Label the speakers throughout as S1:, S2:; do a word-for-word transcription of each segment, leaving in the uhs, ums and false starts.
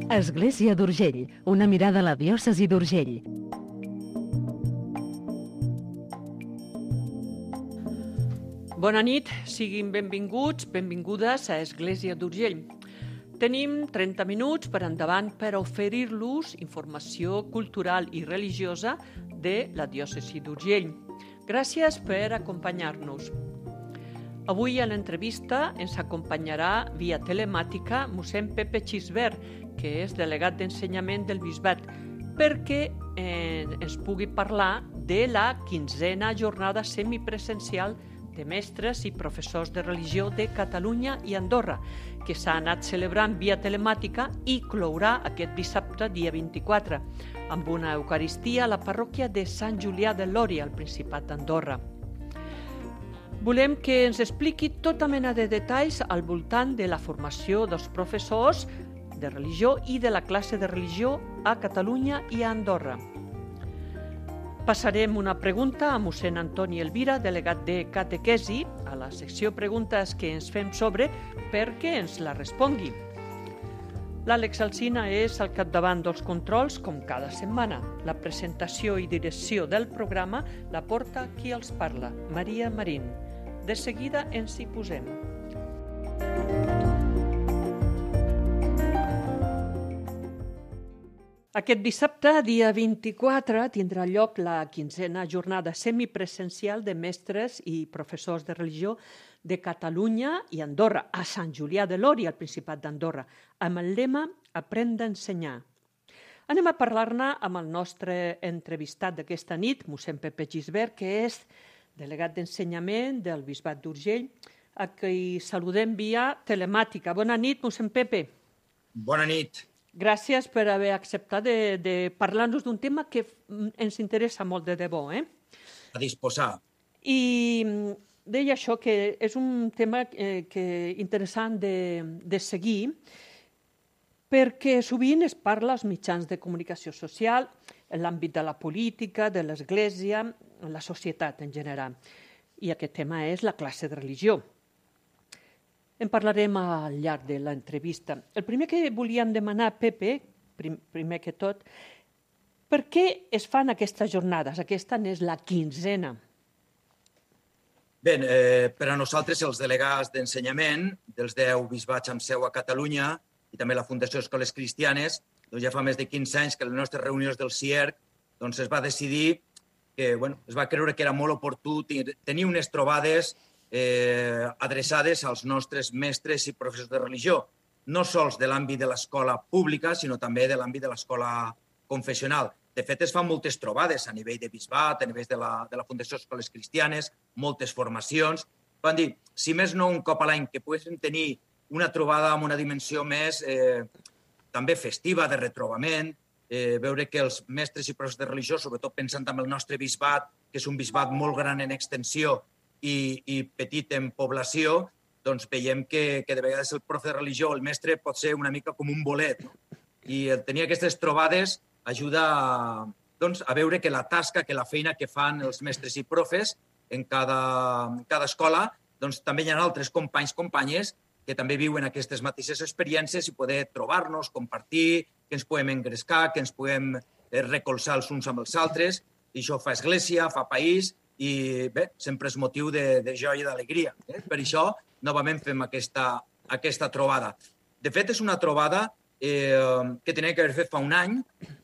S1: Església d'Urgell, una mirada a la diòcesi d'Urgell.
S2: Bona nit, siguin benvinguts, benvingudes a Església d'Urgell. Tenim trenta minuts per endavant per oferir-los informació cultural i religiosa de la diòcesi d'Urgell. Gràcies per acompanyar-nos. Avui a l'entrevista ens acompanyarà via telemàtica mossèn Pepe Xisbert, que és delegat d'ensenyament del bisbat, perquè eh, ens pugui parlar de la quinzena jornada semipresencial de mestres i professors de religió de Catalunya i Andorra, que s'ha anat celebrant via telemàtica i clourà aquest dissabte, dia vint-i-quatre, amb una eucaristia a la parròquia de Sant Julià de Lòria, al Principat d'Andorra. Volem que ens expliqui tota mena de detalls al voltant de la formació dels professors de religió i de la classe de religió a Catalunya i a Andorra. Passarem una pregunta a mossèn Antoni Elvira, delegat de catequesi, a la secció preguntes que ens fem sobre, perquè ens la respongui. L'Àlex Alsina és al capdavant dels controls, com cada setmana. La presentació i direcció del programa la porta qui els parla, Maria Marín. De seguida ens hi posem. Aquest dissabte, dia vint-i-quatre, tindrà lloc la quinzena jornada semipresencial de mestres i professors de religió de Catalunya i Andorra, a Sant Julià de Lòria, al Principat d'Andorra, amb el lema Aprendre a ensenyar. Anem a parlar-ne amb el nostre entrevistat d'aquesta nit, mossèn Pepe Xisbert, que és delegat d'ensenyament del bisbat d'Urgell, a qui saludem via telemàtica. Bona nit, mossèn Pepe.
S3: Bona nit.
S2: Gràcies per haver acceptat de, de parlar-nos d'un tema que ens interessa molt de debò. Eh?
S3: A disposar.
S2: I deia això, que és un tema eh, que interessant de, de seguir, perquè sovint es parla als mitjans de comunicació social, en l'àmbit de la política, de l'Església, en la societat en general. I aquest tema és la classe de religió. En parlarem al llarg de l'entrevista. El primer que volíem demanar, Pepe, prim, primer que tot, per què es fan aquestes jornades? Aquesta és la quinzena.
S3: Bé, eh, per a nosaltres, els delegats d'ensenyament dels deu bisbats amb seu a Catalunya i també la Fundació Escoles Cristianes, doncs ja fa més de quinze anys que les nostres reunions del C I E R C doncs es va decidir que bueno, es va creure que era molt oportú tenir unes trobades eh, adreçades als nostres mestres i professors de religió, no sols de l'àmbit de l'escola pública, sinó també de l'àmbit de l'escola confessional. De fet, es fan moltes trobades a nivell de bisbat, a nivell de la, de la Fundació Escoles Cristianes, moltes formacions. Van dir, si més no un cop a l'any, que poguéssim tenir una trobada amb una dimensió més eh, també festiva, de retrobament, eh, veure que els mestres i professors de religió, sobretot pensant en el nostre bisbat, que és un bisbat molt gran en extensió i, i petit en població, doncs veiem que, que de vegades el profe de religió, el mestre, pot ser una mica com un bolet. No? I el tenir aquestes trobades ajuda a, doncs, a veure que la tasca, que la feina que fan els mestres i profes en cada, en cada escola, doncs també hi ha altres companys, companyes, que també viuen aquestes mateixes experiències i poder trobar-nos, compartir, que ens podem engrescar, que ens podem recolzar els uns amb els altres. I això fa església, fa país i bé, sempre és motiu de, de joia i d'alegria. Eh? Per això, novament fem aquesta, aquesta trobada. De fet, és una trobada eh, que tenia que haver fet fa un any,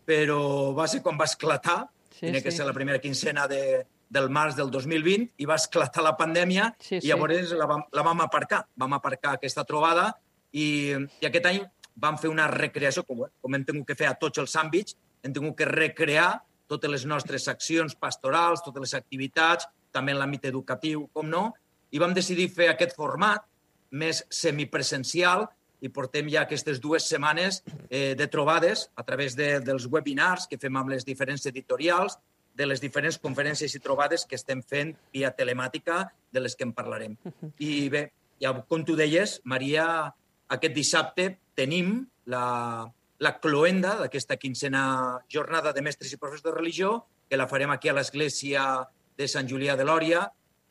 S3: però va ser quan va esclatar, sí, tenia que sí. ser la primera quincena de, del març del dos mil vint, i va esclatar la pandèmia, sí, sí. i llavors la vam, la vam aparcar. Vam aparcar aquesta trobada i, i aquest any vam fer una recreació, com, com hem tingut que fer a tots els àmbits, hem tingut que recrear totes les nostres accions pastorals, totes les activitats, també en l'àmbit educatiu, com no, i vam decidir fer aquest format més semipresencial i portem ja aquestes dues setmanes eh, de trobades a través de, dels webinars que fem amb les diferents editorials, de les diferents conferències i trobades que estem fent via telemàtica, de les que en parlarem. I bé, ja, com tu deies, Maria, aquest dissabte tenim la, la cloenda d'aquesta quinzena jornada de mestres i professors de religió, que la farem aquí a l'església de Sant Julià de Lòria,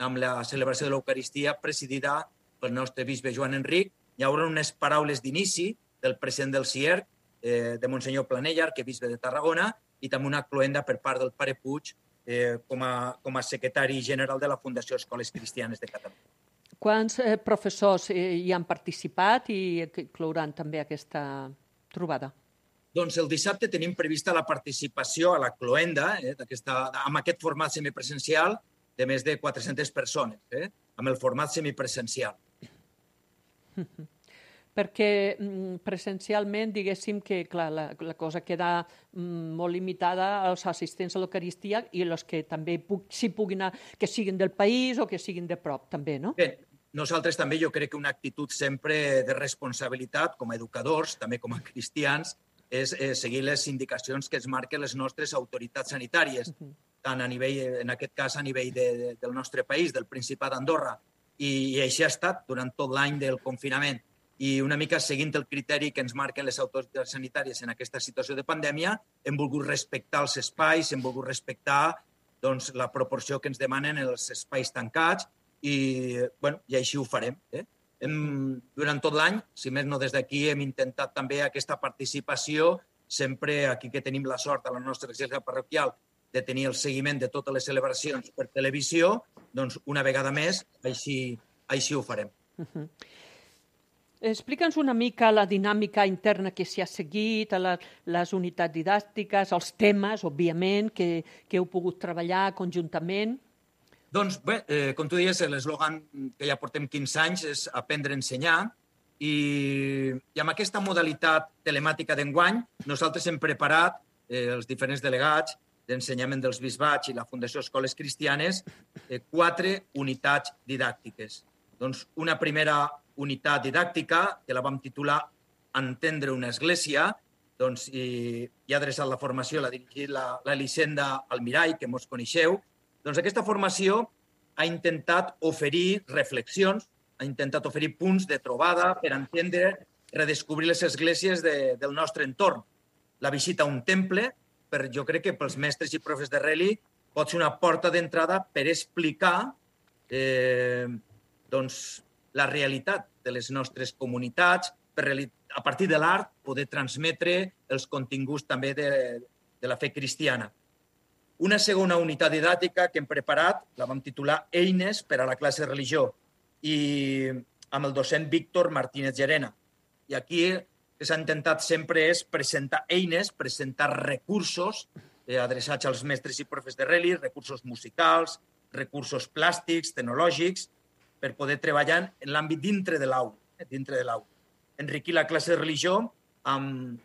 S3: amb la celebració de l'Eucaristia presidida pel nostre bisbe Joan Enric. Hi haurà unes paraules d'inici del president del C I E R C, eh, de Monsenyor Planella, arquebisbe de Tarragona, i també una cloenda per part del pare Puig eh, com, a, com a secretari general de la Fundació Escoles Cristianes de Catalunya.
S2: Quants eh, professors eh, hi han participat i inclouran també aquesta trobada?
S3: Doncs el dissabte tenim prevista la participació a la cloenda, eh, amb aquest format semipresencial, de més de quatre-centes persones, eh, amb el format semipresencial.
S2: Perquè presencialment, diguéssim que clar, la, la cosa queda mm, molt limitada als assistents a l'Eucaristia i els que també puc, si puguin anar, que siguin del país o que siguin de prop, també, no?
S3: Bé, nosaltres també jo crec que una actitud sempre de responsabilitat com a educadors, també com a cristians, és eh, seguir les indicacions que ens marquen les nostres autoritats sanitàries, uh -huh. tant a nivell, en aquest cas a nivell de, de, del nostre país, del Principat d'Andorra, i, i així ha estat durant tot l'any del confinament. I una mica seguint el criteri que ens marquen les autoritats sanitàries en aquesta situació de pandèmia, hem volgut respectar els espais, hem volgut respectar doncs, la proporció que ens demanen els espais tancats i, bueno, i així ho farem. Eh? Hem, durant tot l'any, si més no des d'aquí, hem intentat també aquesta participació, sempre aquí que tenim la sort a la nostra església parroquial de tenir el seguiment de totes les celebracions per televisió, doncs una vegada més així, així ho farem.
S2: Uh-huh. Explica'ns una mica la dinàmica interna que s'hi ha seguit, la, les unitats didàctiques, els temes, òbviament, que, que heu pogut treballar conjuntament.
S3: Doncs bé, eh, com tu deies, l'eslògan que ja portem quinze anys és aprendre a ensenyar i, i amb aquesta modalitat telemàtica d'enguany nosaltres hem preparat eh, els diferents delegats d'ensenyament dels bisbats i la Fundació Escoles Cristianes eh, quatre unitats didàctiques. Doncs una primera unitat didàctica, que la vam titular Entendre una església, doncs, i, i ha adreçat la formació, l'ha dirigit la, l'Elisenda Almirall, que mos coneixeu. Doncs aquesta formació ha intentat oferir reflexions, ha intentat oferir punts de trobada per entendre, redescobrir les esglésies de, del nostre entorn. La visita a un temple, per, jo crec que pels mestres i profes de Reli, pot ser una porta d'entrada per explicar eh, doncs, la realitat de les nostres comunitats, per, a partir de l'art poder transmetre els continguts també de, de la fe cristiana. Una segona unitat didàctica que hem preparat, la vam titular Eines per a la classe de religió, i amb el docent Víctor Martínez Llerena. I aquí el que s'ha intentat sempre és presentar eines, presentar recursos eh, adreçats als mestres i profes de Reli, recursos musicals, recursos plàstics, tecnològics, per poder treballar en l'àmbit dintre de l'aula, eh, dintre de l'aula. Enriquir la classe de religió amb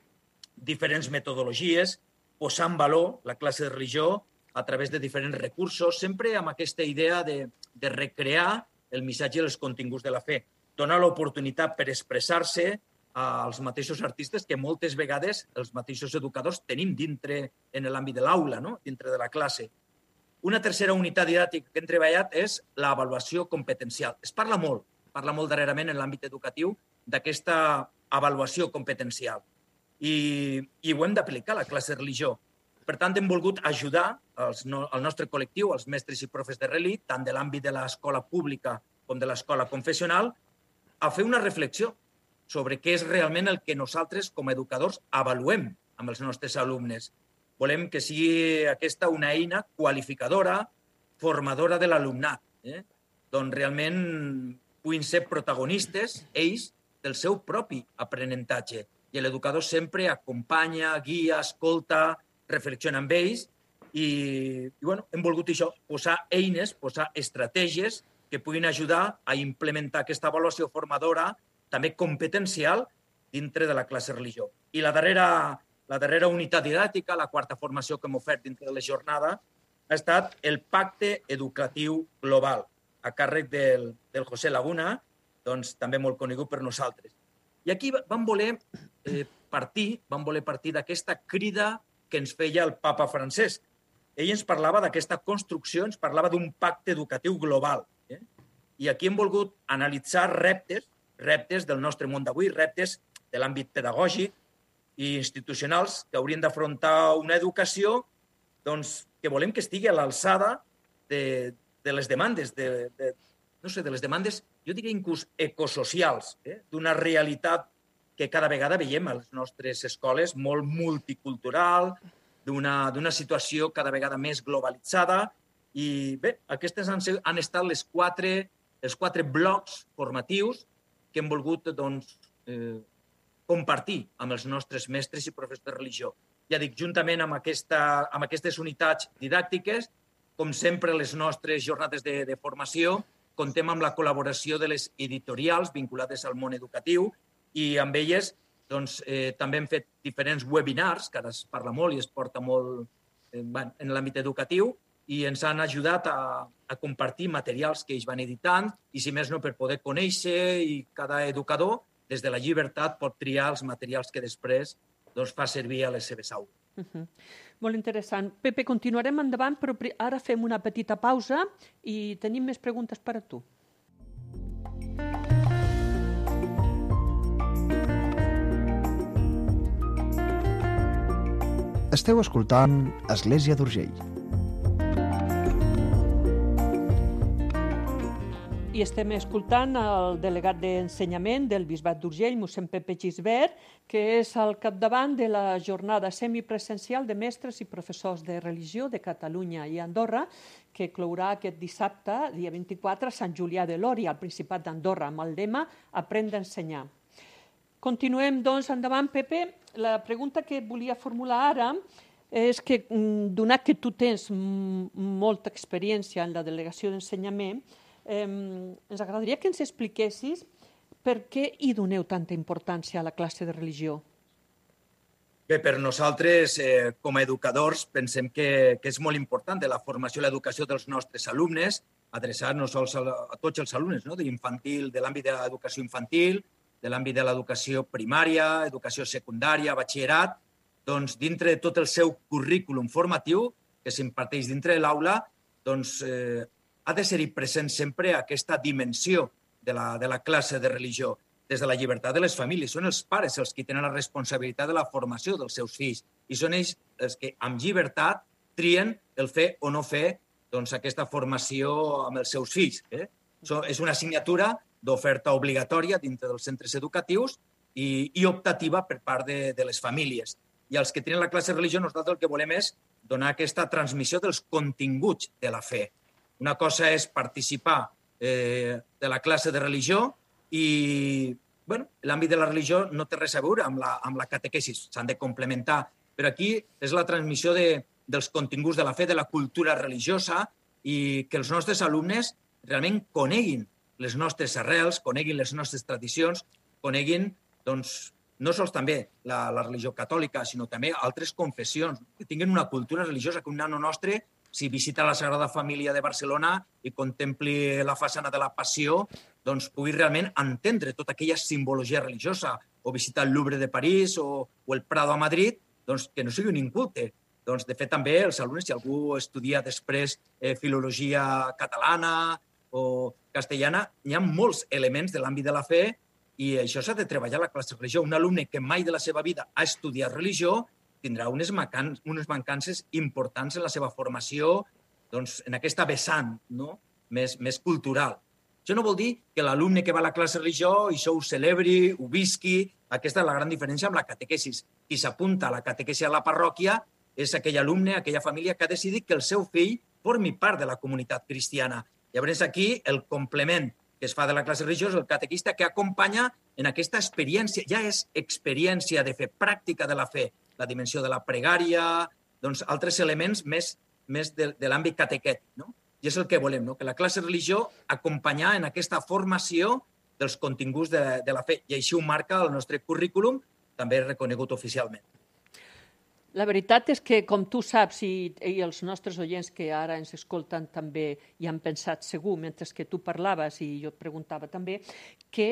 S3: diferents metodologies, posar en valor la classe de religió a través de diferents recursos, sempre amb aquesta idea de, de recrear el missatge i els continguts de la fe. Donar l'oportunitat per expressar-se als mateixos artistes que moltes vegades els mateixos educadors tenim dintre en l'àmbit de l'aula, no? Dintre de la classe. Una tercera unitat didàctica que hem treballat és l'avaluació competencial. Es parla molt, parla molt darrerament en l'àmbit educatiu d'aquesta avaluació competencial. I, i ho hem d'aplicar a la classe de religió. Per tant, hem volgut ajudar els, no, el nostre col·lectiu, els mestres i profes de Reli, tant de l'àmbit de l'escola pública com de l'escola confessional, a fer una reflexió sobre què és realment el que nosaltres, com a educadors, avaluem amb els nostres alumnes. Volem que sigui aquesta una eina qualificadora, formadora de l'alumnat, eh? Doncs realment puguin ser protagonistes, ells, del seu propi aprenentatge. I l'educador sempre acompanya, guia, escolta, reflexiona amb ells i, i bueno, hem volgut això, posar eines, posar estratègies que puguin ajudar a implementar aquesta avaluació formadora, també competencial, dintre de la classe de religió. I la darrera, la darrera unitat didàctica, la quarta formació que hem ofert dintre de la jornada, ha estat el Pacte Educatiu Global, a càrrec del, del José Laguna, doncs també molt conegut per nosaltres. I aquí vam voler eh, partir, vam voler partir d'aquesta crida que ens feia el papa Francesc. Ell ens parlava d'aquesta construcció, ens parlava d'un pacte educatiu global. Eh? I aquí hem volgut analitzar reptes, reptes del nostre món d'avui, reptes de l'àmbit pedagògic i institucionals que haurien d'afrontar una educació doncs, que volem que estigui a l'alçada de, de les demandes, de, de, no sé, de les demandes, jo diria inclús ecosocials, eh? d'una realitat que cada vegada veiem a les nostres escoles molt multicultural, d'una situació cada vegada més globalitzada. I bé, aquestes han, han estat les quatre, els quatre blocs formatius que hem volgut doncs, eh, compartir amb els nostres mestres i professors de religió. Ja dic, juntament amb, aquesta, amb aquestes unitats didàctiques, com sempre, les nostres jornades de, de formació, contem amb la col·laboració de les editorials vinculades al món educatiu i amb elles doncs, eh, també hem fet diferents webinars, que ara es parla molt i es porta molt eh, en l'àmbit educatiu, i ens han ajudat a, a compartir materials que ells van editant i, si més no, per poder conèixer, i cada educador, des de la llibertat, pot triar els materials que després doncs, fa servir a les seves aules.
S2: Uh-huh. Molt interessant. Pepe, continuarem endavant, però ara fem una petita pausa i tenim més preguntes per a tu.
S4: Esteu escoltant Església d'Urgell.
S2: I estem escoltant el delegat d'Ensenyament del Bisbat d'Urgell, mossèn Pepe Gisbert, que és al capdavant de la jornada semipresencial de mestres i professors de religió de Catalunya i Andorra, que clourà aquest dissabte, dia vint-i-quatre, a Sant Julià de Lòria, al Principat d'Andorra, amb el lema Aprendre a ensenyar. Continuem, doncs, endavant, Pepe. La pregunta que volia formular ara és que, donat que tu tens molta experiència en la delegació d'ensenyament, eh, ens agradaria que ens expliquessis per què hi doneu tanta importància a la classe de religió.
S3: Bé, per nosaltres, eh, com a educadors, pensem que, que és molt important de la formació i l'educació dels nostres alumnes, adreçar no sols a, a tots els alumnes, no? d'infantil, de l'àmbit de l'educació infantil, de l'àmbit de l'educació primària, educació secundària, batxillerat, doncs dintre de tot el seu currículum formatiu que s'imparteix dintre de l'aula, doncs eh, ha de ser-hi present sempre aquesta dimensió de la, de la classe de religió, des de la llibertat de les famílies. Són els pares els que tenen la responsabilitat de la formació dels seus fills i són ells els que amb llibertat trien el fer o no fer doncs, aquesta formació amb els seus fills. Eh? So, és una assignatura d'oferta obligatòria dintre dels centres educatius i, i optativa per part de, de les famílies. I els que tenen la classe de religió, nosaltres el que volem és donar aquesta transmissió dels continguts de la fe. Una cosa és participar eh, de la classe de religió i bueno, l'àmbit de la religió no té res a veure amb la, amb la catequesis, s'han de complementar. Però aquí és la transmissió de, dels continguts de la fe, de la cultura religiosa, i que els nostres alumnes realment coneguin les nostres arrels, coneguin les nostres tradicions, coneguin, doncs, no sols també la, la religió catòlica, sinó també altres confessions, que tinguin una cultura religiosa, que un nano nostre, si visita la Sagrada Família de Barcelona i contempli la façana de la Passió, doncs pugui realment entendre tota aquella simbologia religiosa, o visitar el Louvre de París o, o el Prado a Madrid, doncs que no sigui un inculte. Doncs, de fet, també els alumnes, si algú estudia després eh, filologia catalana o castellana, hi ha molts elements de l'àmbit de la fe i això s'ha de treballar a la classe de religió. Un alumne que mai de la seva vida ha estudiat religió tindrà unes, mancan unes mancances importants en la seva formació, doncs, en aquesta vessant, no? més, més cultural. Això no vol dir que l'alumne que va a la classe de religió això ho celebri, ho visqui. Aquesta és la gran diferència amb la catequesis. Qui s'apunta a la catequesi a la parròquia és aquell alumne, aquella família que ha decidit que el seu fill formi part de la comunitat cristiana. Llavors aquí el complement que es fa de la classe religiosa, el catequista que acompanya en aquesta experiència, ja és experiència de fe, pràctica de la fe, la dimensió de la pregària, doncs altres elements més, més de, de l'àmbit catequètic, no? I és el que volem, no? Que la classe de religió acompanyar en aquesta formació dels continguts de, de la fe. I així ho marca el nostre currículum, també reconegut oficialment.
S2: La veritat és que, com tu saps, i, i els nostres oients que ara ens escolten també hi han pensat segur, mentre que tu parlaves i jo et preguntava també, que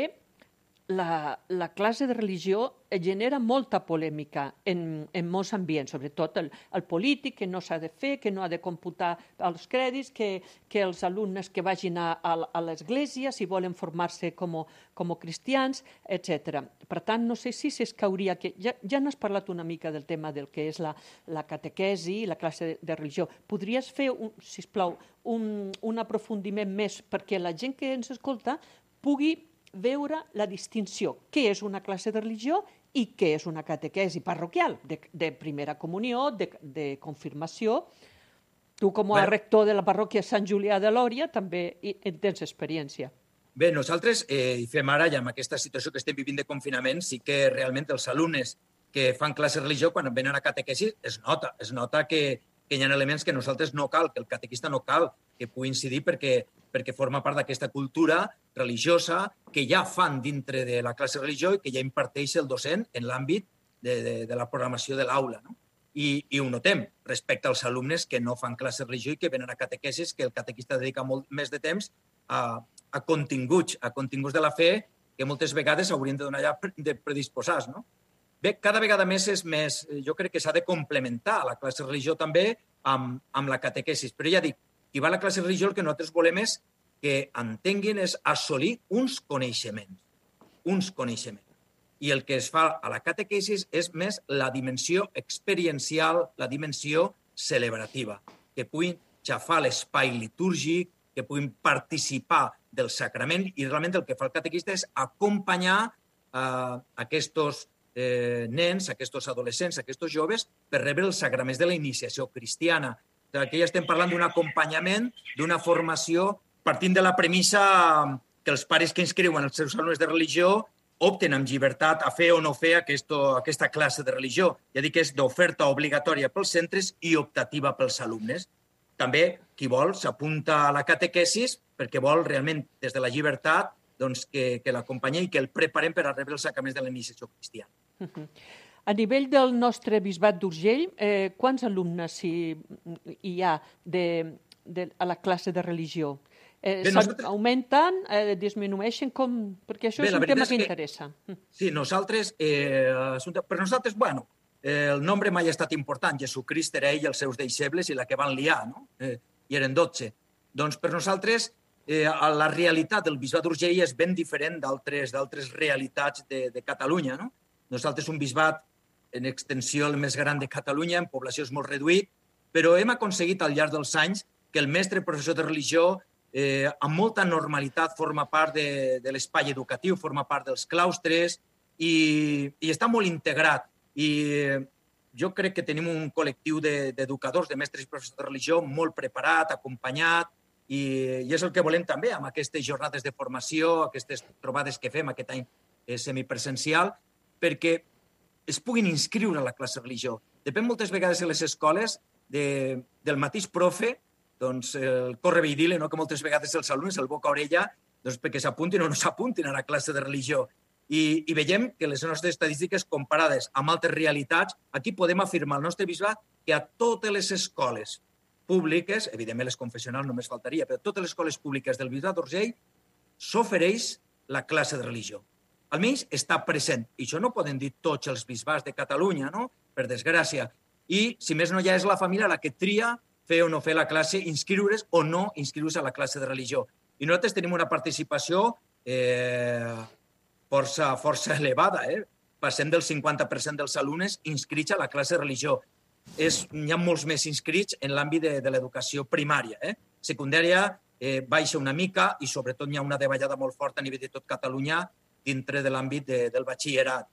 S2: la, la classe de religió genera molta polèmica en, en molts ambients, sobretot el, el polític, que no s'ha de fer, que no ha de computar els crèdits, que, que els alumnes que vagin a, a, a l'església, si volen formar-se com, com cristians, etcètera. Per tant, no sé si s'escauria que... Ja, ja n'has parlat una mica del tema del que és la, la catequesi, la classe de, de religió. Podries fer, un, sisplau, un, un aprofundiment més perquè la gent que ens escolta pugui veure la distinció, què és una classe de religió i què és una catequesi parroquial, de, de primera comunió, de, de confirmació. Tu, com a
S3: Bueno.
S2: rector de la parròquia Sant Julià de Lòria, també hi- en tens experiència.
S3: Bé, nosaltres eh, hi fem ara, ja amb aquesta situació que estem vivint de confinament, sí que realment els alumnes que fan classe de religió, quan venen a catequesi, es nota. Es nota que, que hi ha elements que nosaltres no cal, que el catequista no cal que pugui incidir perquè, perquè forma part d'aquesta cultura religiosa que ja fan dintre de la classe de religió i que ja imparteix el docent en l'àmbit de, de, de la programació de l'aula, no? I, i ho notem respecte als alumnes que no fan classe de religió i que venen a catequesis, que el catequista dedica molt més de temps a, a continguts, a continguts de la fe que moltes vegades haurien de donar ja de predisposats, no? Bé, cada vegada més és més, jo crec que s'ha de complementar la classe de religió també amb, amb la catequesis. Però ja dic, qui va a la classe de religió el que nosaltres volem és que entenguin és assolir uns coneixements, uns coneixements. I el que es fa a la catequesis és més la dimensió experiencial, la dimensió celebrativa, que puguin xafar l'espai litúrgic, que puguin participar del sacrament i realment el que fa el catequista és acompanyar eh, aquests eh, nens, aquests adolescents, aquests joves per rebre els sacraments de la iniciació cristiana. Aquí ja estem parlant d'un acompanyament, d'una formació partint de la premissa que els pares que inscriuen els seus alumnes de religió opten amb llibertat a fer o no fer aquesto, aquesta classe de religió. Ja dic que és d'oferta obligatòria pels centres i optativa pels alumnes. També, qui vol, s'apunta a la catequesis perquè vol realment, des de la llibertat, doncs, que, que l'acompanyi i que el preparem per a rebre els sacraments de la iniciació cristiana.
S2: Uh-huh. A nivell del nostre bisbat d'Urgell, eh, quants alumnes hi, hi ha de, de, a la classe de religió? Eh,
S3: Bé, nosaltres...
S2: Augmenten, eh, disminueixen, com... perquè això
S3: Bé,
S2: és un tema que, que interessa.
S3: Sí, nosaltres, eh, per nosaltres, bueno, eh, el nombre mai ha estat important. Jesucrist era ell i els seus deixebles i la que van liar, no? Eh, I eren dotze. Doncs per nosaltres, eh, la realitat del bisbat d'Urgell és ben diferent d'altres d'altres realitats de, de Catalunya, no? Nosaltres un bisbat en extensió el més gran de Catalunya, en població és molt reduït, però hem aconseguit al llarg dels anys que el mestre professor de religió eh, amb molta normalitat forma part de, de l'espai educatiu, forma part dels claustres i, i està molt integrat. I jo crec que tenim un col·lectiu d'educadors, de, de mestres i professors de religió molt preparat, acompanyat, i, i és el que volem també amb aquestes jornades de formació, aquestes trobades que fem aquest any eh, semipresencial, perquè es puguin inscriure a la classe de religió. Depèn moltes vegades a les escoles de, del mateix profe, doncs el correveidile, no? Que moltes vegades els alumnes, el boca a orella, doncs perquè s'apuntin o no s'apuntin a la classe de religió. I, I veiem que les nostres estadístiques comparades amb altres realitats, aquí podem afirmar al nostre bisbat que a totes les escoles públiques, evidentment les confessionals només faltaria, però totes les escoles públiques del bisbat d'Urgell s'ofereix la classe de religió. Almenys està present. I això no poden dir tots els bisbats de Catalunya, no? Per desgràcia. I, si més no, ja és la família la que tria fer o no fer la classe, inscriure's o no inscriure's a la classe de religió. I nosaltres tenim una participació eh, força, força elevada. Eh? Passem del cinquanta per cent dels alumnes inscrits a la classe de religió. És, hi ha molts més inscrits en l'àmbit de, de l'educació primària. Eh? Secundària eh, baixa una mica i sobretot hi ha una davallada molt forta a nivell de tot Catalunya dintre de l'àmbit de, del batxillerat.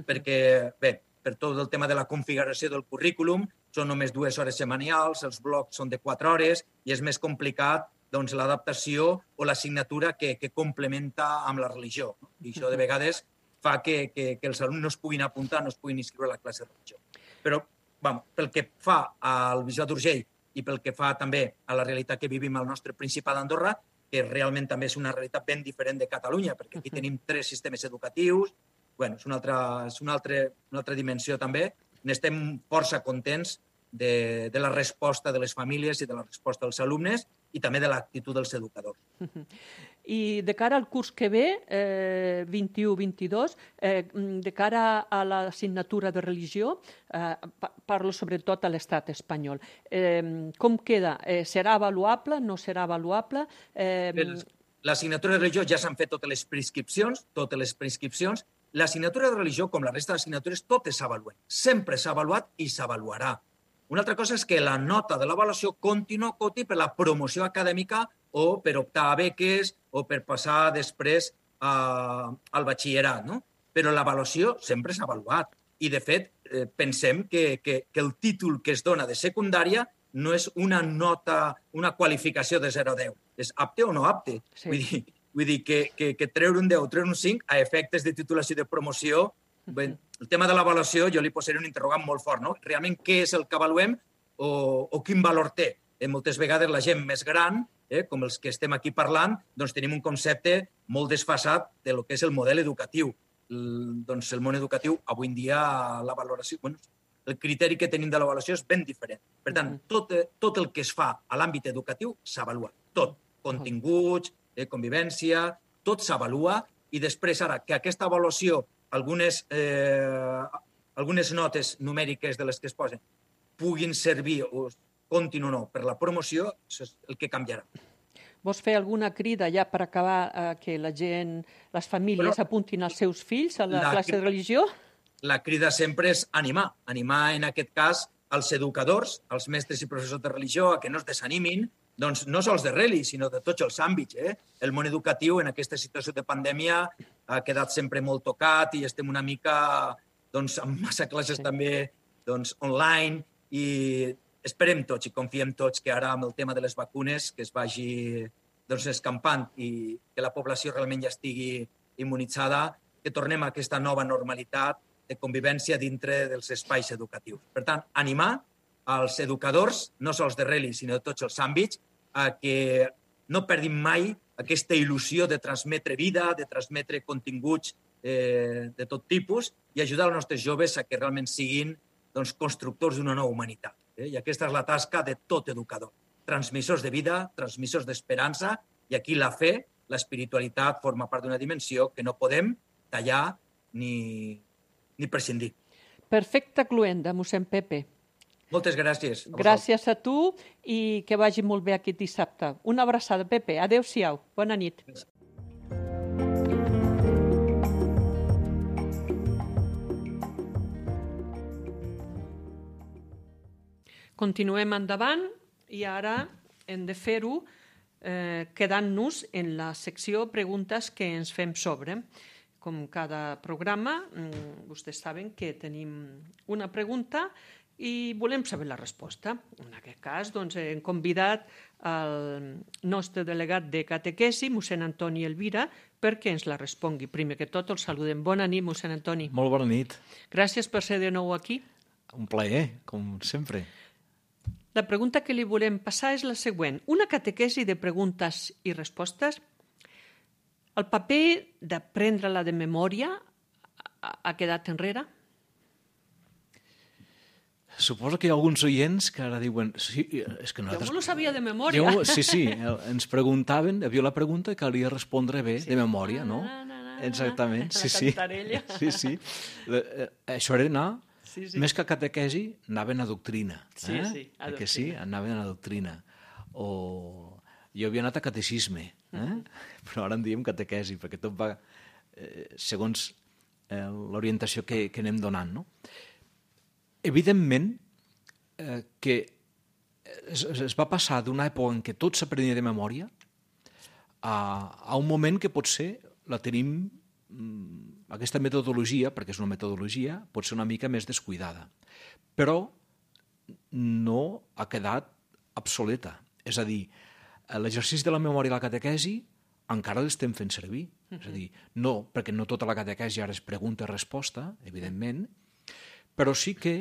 S3: Perquè, bé, per tot el tema de la configuració del currículum, són només dues hores setmanals, els blocs són de quatre hores i és més complicat doncs, l'adaptació o l'assignatura que, que complementa amb la religió. I això de vegades fa que, que, que els alumnes no es puguin apuntar, no es puguin inscriure a la classe de religió. Però, bueno, pel que fa al bisbat d'Urgell i pel que fa també a la realitat que vivim al nostre Principat d'Andorra, que realment també és una realitat ben diferent de Catalunya, perquè aquí tenim tres sistemes educatius, bueno, és una altra, és una altra, una altra dimensió també. N'estem força contents de, de la resposta de les famílies i de la resposta dels alumnes i també de l'actitud dels educadors.
S2: I de cara al curs que ve, eh, vint-i-u vint-i-dos, eh, de cara a l'assignatura de religió, eh, parlo sobretot a l'estat espanyol. Eh, com queda? Eh, serà avaluable? No serà avaluable? Eh...
S3: L'assignatura de religió ja s'han fet totes les prescripcions, totes les prescripcions. L'assignatura de religió, com la resta d'assignatures, totes s'avaluen. Sempre s'ha avaluat i s'avaluarà. Una altra cosa és que la nota de l'avaluació continua coti per la promoció acadèmica o per optar a beques o per passar després a, al batxillerat, no? Però l'avaluació sempre s'ha avaluat. I, de fet, eh, pensem que, que, que el títol que es dona de secundària no és una nota, una qualificació de zero a deu. És apte o no apte. Sí. Vull dir, vull dir que, que, que treure un deu o treure un cinc a efectes de titulació i de promoció, ben, el tema de l'avaluació jo li posaré un interrogant molt fort, no? Realment què és el que avaluem o, o quin valor té? Eh, moltes vegades la gent més gran, eh, com els que estem aquí parlant, doncs tenim un concepte molt desfasat de lo que és el model educatiu. El, doncs el món educatiu, avui en dia, la valoració, bueno, el criteri que tenim de l'avaluació és ben diferent. Per tant, tot, tot el que es fa a l'àmbit educatiu s'avalua. Tot. Continguts, eh, convivència, tot s'avalua i després, ara, que aquesta avaluació, algunes, eh, algunes notes numèriques de les que es posen, puguin servir o comptin o no per la promoció, això és el que canviarà.
S2: Vols fer alguna crida ja per acabar eh, que la gent, les famílies bueno, apuntin els seus fills a la, la classe de religió?
S3: La crida sempre és animar. Animar, en aquest cas, els educadors, els mestres i professors de religió, a que no es desanimin, doncs no sols de reli, sinó de tots els àmbits. Eh? El món educatiu, en aquesta situació de pandèmia, ha quedat sempre molt tocat i estem una mica doncs, amb massa classes sí. també doncs, online i esperem tots i confiem tots que ara amb el tema de les vacunes que es vagi doncs, escampant i que la població realment ja estigui immunitzada, que tornem a aquesta nova normalitat de convivència dintre dels espais educatius. Per tant, animar als educadors, no sols de reli, sinó de tots els àmbits, a que no perdin mai aquesta il·lusió de transmetre vida, de transmetre continguts eh, de tot tipus i ajudar els nostres joves a que realment siguin doncs, constructors d'una nova humanitat. Eh? I aquesta és la tasca de tot educador. Transmissors de vida, transmissors d'esperança, i aquí la fe, l'espiritualitat, forma part d'una dimensió que no podem tallar ni, ni prescindir.
S2: Perfecte cluenda, mossèn Pepe.
S3: Moltes gràcies.
S2: A gràcies a tu i que vagi molt bé aquest dissabte. Una abraçada, Pepe. Adéu-siau. Bona nit. Gràcies. Continuem endavant i ara hem de fer-ho eh, quedant-nos en la secció preguntes que ens fem sobre. Com cada programa, vostès saben que tenim una pregunta i volem saber la resposta. En aquest cas, doncs, hem convidat el nostre delegat de catequesi, mossèn Antoni Elvira, perquè ens la respongui. Primer que tot, el saludem. Bona nit, mossèn Antoni.
S5: Molt bona nit.
S2: Gràcies per ser de nou aquí.
S5: Un plaer, com sempre.
S2: La pregunta que li volem passar és la següent. Una catequesi de preguntes i respostes. El paper d'aprendre-la de memòria ha quedat enrere?
S5: Suposo que hi ha alguns oients que ara diuen... Sí, és que nosaltres...
S2: Jo no lo sabia de memòria.
S5: Jo, sí, sí, ens preguntaven, hi havia la pregunta que calia respondre bé sí. de memòria, no? Na, na, na, Exactament, sí, sí. sí, sí. Això era anar, sí, sí. més que a catequesi, anaven a doctrina.
S2: Sí,
S5: eh?
S2: sí, a doctrina.
S5: Que sí, anaven a doctrina. O... Jo havia anat a catecisme, eh? Uh-huh. Però ara en diem catequesi, perquè tot va eh, segons eh, l'orientació que, que anem donant, no? Evidentment eh, que es, es va passar d'una època en què tot s'aprenia de memòria a, a un moment que potser la tenim, aquesta metodologia, perquè és una metodologia, pot ser una mica més descuidada. Però no ha quedat obsoleta. És a dir, l'exercici de la memòria i la catequesi encara l'estem fent servir. Uh-huh. És a dir, no, perquè no tota la catequesi ara és pregunta i resposta, evidentment, però sí que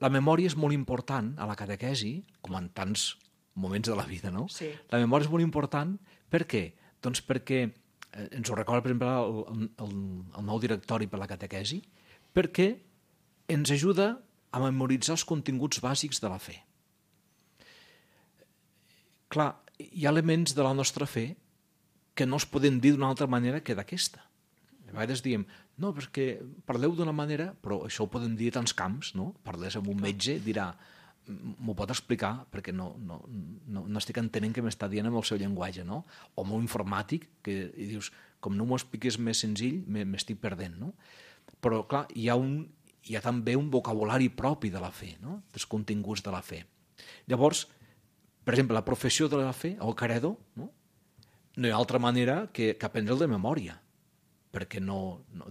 S5: la memòria és molt important a la catequesi, com en tants moments de la vida, no?
S2: Sí.
S5: La memòria és molt important, per què? Doncs perquè, eh, ens ho recorda, per exemple, el, el, el nou directori per la catequesi, perquè ens ajuda a memoritzar els continguts bàsics de la fe. Clar, hi ha elements de la nostra fe que no es poden dir d'una altra manera que d'aquesta. A vegades diem, no, perquè parleu d'una manera, però això ho podem dir a tants camps, no? Parles amb un metge, dirà, m'ho pot explicar, perquè no, no, no, no estic entenent què m'està dient amb el seu llenguatge, no? O amb un informàtic, que i dius, com no m'ho expliques més senzill, m'estic perdent, no? Però, clar, hi ha, un, hi ha també un vocabulari propi de la fe, no? Dels continguts de la fe. Llavors, per exemple, la professió de la fe, el credo, no? No hi ha altra manera que, que aprendre'l de memòria. perquè no... no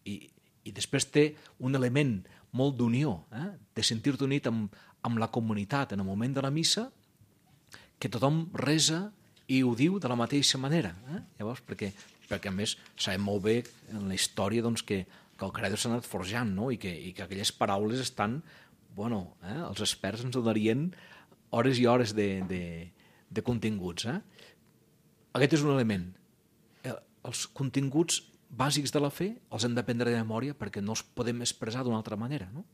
S5: i, I després té un element molt d'unió, eh? de sentir-te unit amb, amb la comunitat en el moment de la missa, que tothom resa i ho diu de la mateixa manera. Eh? Llavors, perquè, perquè a més sabem molt bé en la història doncs, que, que el credo s'ha anat forjant, no? I, que, i que aquelles paraules estan... Bueno, eh? els experts ens donarien hores i hores de, de, de continguts. Eh? Aquest és un element. Els continguts bàsics de la fe els hem d'aprendre de memòria perquè no els podem expressar d'una altra manera. No?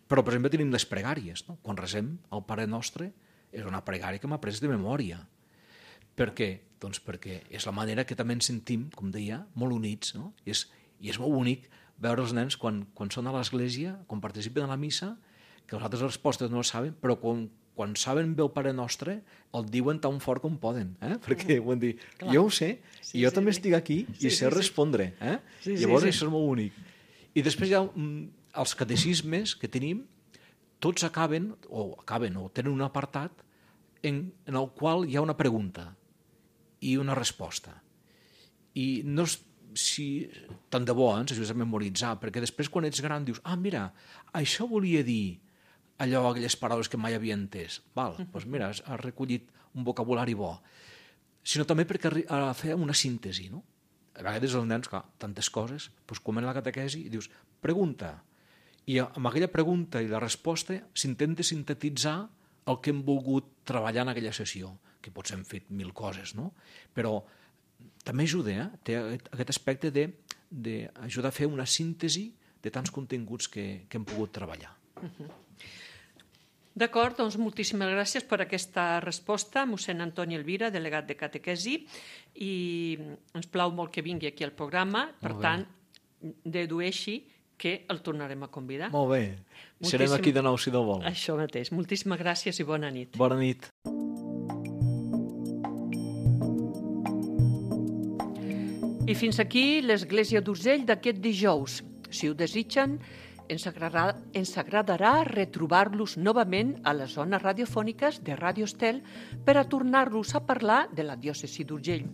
S5: Però, per exemple, tenim les pregàries. No? Quan resem el Pare Nostre, és una pregària que m'ha après de memòria. Per què? Doncs perquè és la manera que també ens sentim, com deia, molt units. No? I, és, I és molt bonic veure els nens quan, quan són a l'església, quan participen a la missa, que les altres respostes no les saben, però quan, quan saben bé el Pare Nostre, el diuen tan fort com poden, eh? Perquè ho han dit, clar, jo ho sé, sí, i jo sí, també sí. estic aquí i sí, sé sí, respondre. Eh? Sí, Llavors sí, sí. Això és molt bonic. I després hi ha mm, els catecismes que tenim, tots acaben, o acaben, o tenen un apartat en, en el qual hi ha una pregunta i una resposta. I no és si tant de bo eh, ens ajudes a memoritzar, perquè després quan ets gran dius, ah, mira, això volia dir allò, aquelles paraules que mai havia entès. Val, doncs mira, has recollit un vocabulari bo. Sinó també perquè a fer una síntesi, no? A vegades els nens, clar, tantes coses, doncs comen la catequesi i dius, pregunta. I amb aquella pregunta i la resposta s'intenta sintetitzar el que hem volgut treballar en aquella sessió, que potser hem fet mil coses, no? Però també ajuda, eh? Té aquest aspecte d'ajudar a fer una síntesi de tants continguts que, que hem pogut treballar.
S2: Uh-huh. D'acord, doncs moltíssimes gràcies per aquesta resposta, mossèn Antoni Elvira, delegat de catequesi, i ens plau molt que vingui aquí al programa, per tant, dedueixi que el tornarem a convidar.
S5: Molt bé, Moltíssim... serem aquí de nou si no vol.
S2: Això mateix, moltíssimes gràcies i bona nit.
S5: Bona nit.
S2: I fins aquí l'Església d'Urgell d'aquest dijous. Si ho desitgen, ens agradarà, ens agradarà retrobar-los novament a les zones radiofòniques de Ràdio Estel per a tornar-los a parlar de la diòcesi d'Urgell.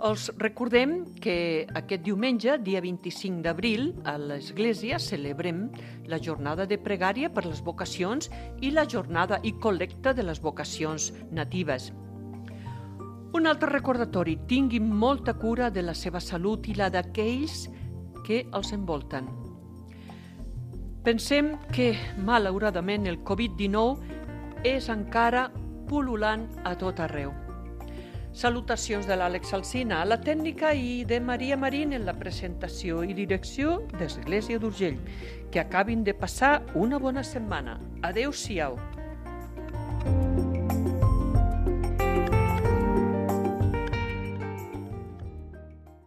S2: Els recordem que aquest diumenge, dia vint-i-cinc d'abril, a l'Església celebrem la jornada de pregària per les vocacions i la jornada i col·lecta de les vocacions natives. Un altre recordatori, tinguin molta cura de la seva salut i la d'aquells que els envolten. Pensem que, malauradament, el covid dinou és encara pul·lulant a tot arreu. Salutacions de l'Àlex Alsina a la tècnica i de Maria Marín en la presentació i direcció d'Església d'Urgell. Que acabin de passar una bona setmana. Adéu-siau.